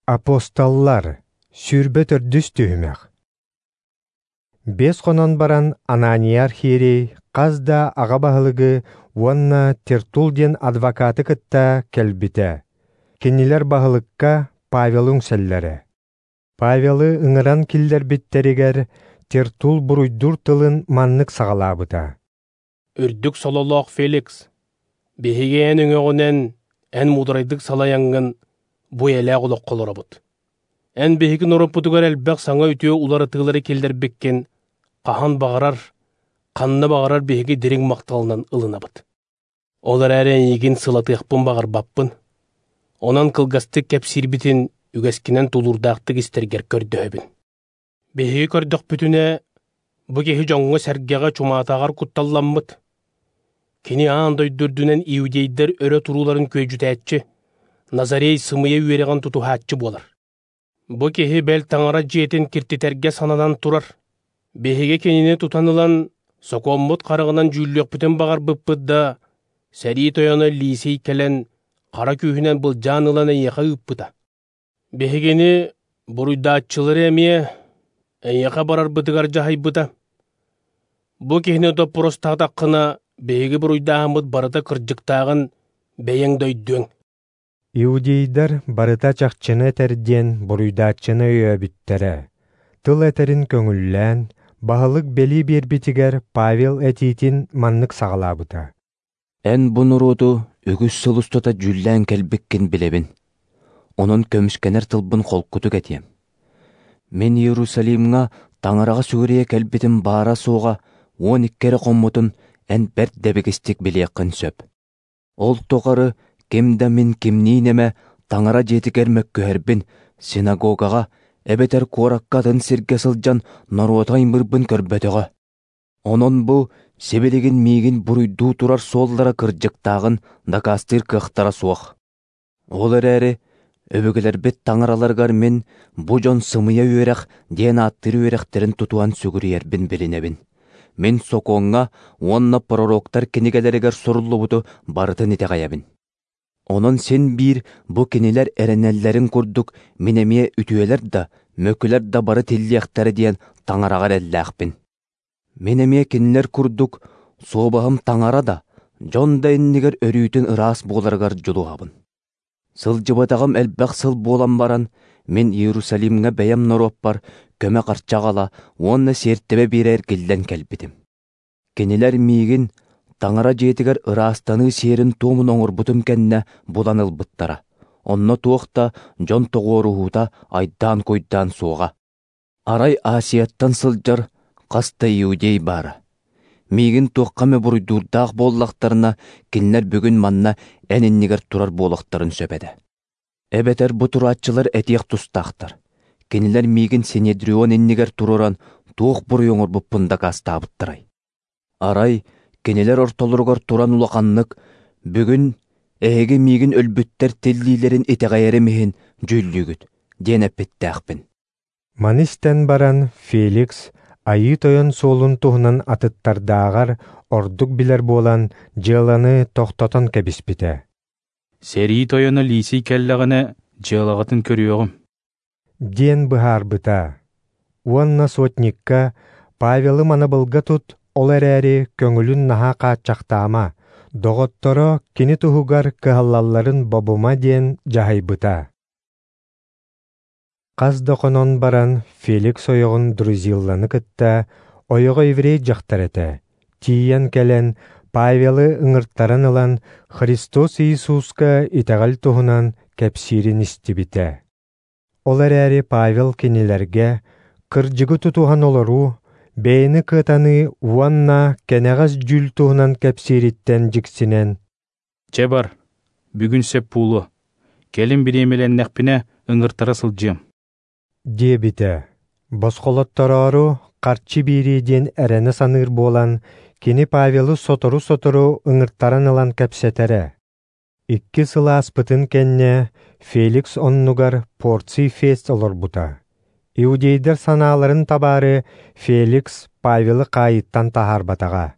Апостоллар, 24 түһүмэх. 5 хонон баран Анания архиерей хас да аҕа баһылыгы уонна Тертул диэн адвокаты кытта кэлбитэ. Кинилэр баһылыкка Павелы үҥсэллэрэ. Павелы ыҥыран киллэрбиттэригэр Тертул буруйдуур тылын маннык саҕалаабыта. Үрдүк сололоох Феликс, биһиги эн өҥөҕүнэн, эн муударайдык салайаҥҥын бу эйэлээх олоххо олоробут. Эн биһиги норуоппутугар элбэх саҥа үтүө уларытыылары киллэрбиккин хаһан баҕарар, ханна баҕарар биһиги дириҥ махталынан ылынабыт. Ол эрээри эйигин сылатыахпын баҕарбаппын. Онон кылгастык кэпсиирбитин үгэскинэн тулуурдаахтык истэргэр көрдөһөбүн. Биһиги көрдөхпүтүнэ, бу киһи дьоҥҥо-сэргэҕэ чумаатаҕар кутталламмыт. Кини аан дойду үрдүнэн иудейдэр өрө турууларын күөдьүтээччи, Назарей сымыйа үөрэҕин тутуһааччы буолар. Бу киһи бэл таҥара дьиэтин киртитэргэ сананан турар. Биһиги кинини тутан ылан, сокуоммут хараҕынан дьүүллүөхпүтүн баҕарбыппыт да, сэрии тойоно Лисий кэлэн, хара күүһүнэн былдьаан ылан эйиэхэ ыыппыта. Биһигини буруйдааччылары эмиэ эйиэхэ барарбытыгар дьаһайбыта. Бу киһини доппуруостаатаххына, биһиги буруйдааһыммыт барыта кырдьыктааҕын бэйэҥ да өйдүөҥ. Иудейдар барыта чахчыны этэр диэн буруйдааччыны өйөөбүттэрэ. Тыл этэрин көҥүллээн, баһылык бэлии биэрбитигэр Павел этиитин маннык саҕалаабыта. Эн бу норуоту үгүс сыл устата дьүүллээн кэлбиккин билэбин. Онон көмүскэнэр тылбын холкутук этиэм. Мин Иерусалимҥа таҥараҕа сүгүрүйэ кэлбитим баара-суоҕа 12 эрэ хоммутун эн бэрт дэбигистик билиэххин сөп. Ол тухары ким да мин кимниин эмэ таҥара дьиэтигэр мөккүһэрбин, синагогаҕа эбэтэр куоракка атын сиргэ сылдьан норуоту аймыырбын көрбөтөҕө. Онон бу сибилигин миигин буруйдуу турар суоллара кырдьыктааҕын дакаастыыр кыахтара суох. Ол эрээри өбүгэлэрбит таҥараларыгар мин бу дьон сымыйа үөрэх диэн ааттыыр үөрэхтэрин тутуһан сүгүрүйэрбин билинэбин. Мин сокуоҥҥа уонна пророктар кинигэлэригэр суруллубуту барытын итэҕэйэбин. Онон син биир бу кинилэр эрэнэллэрин курдук мин эмиэ үтүөлэр да, мөкүлэр да бары тиллиэхтэрэ диэн таҥараҕа эрэллээхпин. Мин эмиэ кинилэр курдук суобаһым таҥара да, дьон да иннигэр өрүүтүн ыраас буоларыгар дьулуһабын. Сылдьыбатаҕым элбэх сыл буолан баран, мин Иерусалимҥа бэйэм норуоппар көмө харчы аҕала уонна сиэртибэ биэрэ эргиллэн кэлбитим. Кинилэр миигин таҥара дьиэтигэр ыраастаныы сиэрин туомун оҥорбутум кэннэ булан ылбыттара. Онно туох да дьон тоҕуоруһуута айдаан-куйдаан суоҕа. Арай Асияттан сылдьар хас да иудей баара. Миигин туохха эмэ буруйдуурдаах буоллахтарына, кинилэр бүгүн манна эн иннигэр турар буолуохтарын сөп этэ. Эбэтэр бу турааччылар этиэх тустаахтар. Кинилэр миигин Синедрион иннигэр туруоран туох буруй оҥорбуппун дакаастаабыттарай. Арай кинилэр ортолоругар туран улаханнык «Бүгүн эһиги миигин өлбүттэр тиллиилэрин итэҕэйэрим иһин дьүүллүүгүт» диэн эппиттээхпин. Маны истэн баран Феликс Айыы Тойон суолун туһунан атыттардааҕар ордук билэр буолан дьыаланы тохтотон кэбиспитэ. Сэрии тойоно Лисий кэллэҕинэ дьыалаҕытын көрүөҕүм диэн быһаарбыта. Уонна сотникка Павелы манабылга тут, ол эрээри көҥүлүн наһаа хааччахтаама, доҕотторо кини туһугар кыһаллалларын бобума диэн дьаһайбыта. Хас да хонон баран Феликс ойоҕун Друзилланы кытта ойоҕо еврей дьахтар этэ, тиийэн кэлэн Павелы ыҥыртаран ылан Христос Иисуска итэҕэл туһунан кэпсиирин истибитэ. Ол эрээри Павел кинилэргэ кырдьыгы тутуһан олоруу, бэйэни кыатаныы уонна кэнэҕэс дьүүл туһунан кэпсиириттэн дьиксинэн «Чэ бар, бүгүн сөп буолуо, кэлин бириэмэлэннэхпинэ ыҥыртара сылдьыам» диэбитэ. Босхолоттороору харчы биэрии диэн эрэнэ саныыр буолан, кини Павелы сотору-сотору ыҥыртаран ылан кэпсэтэрэ. 2 сыл ааспытын кэннэ Феликс оннугар Порций Фест олорбута. Иудейдар санааларын табаары Феликс Павелы хаайыттан таһаарбатаҕа.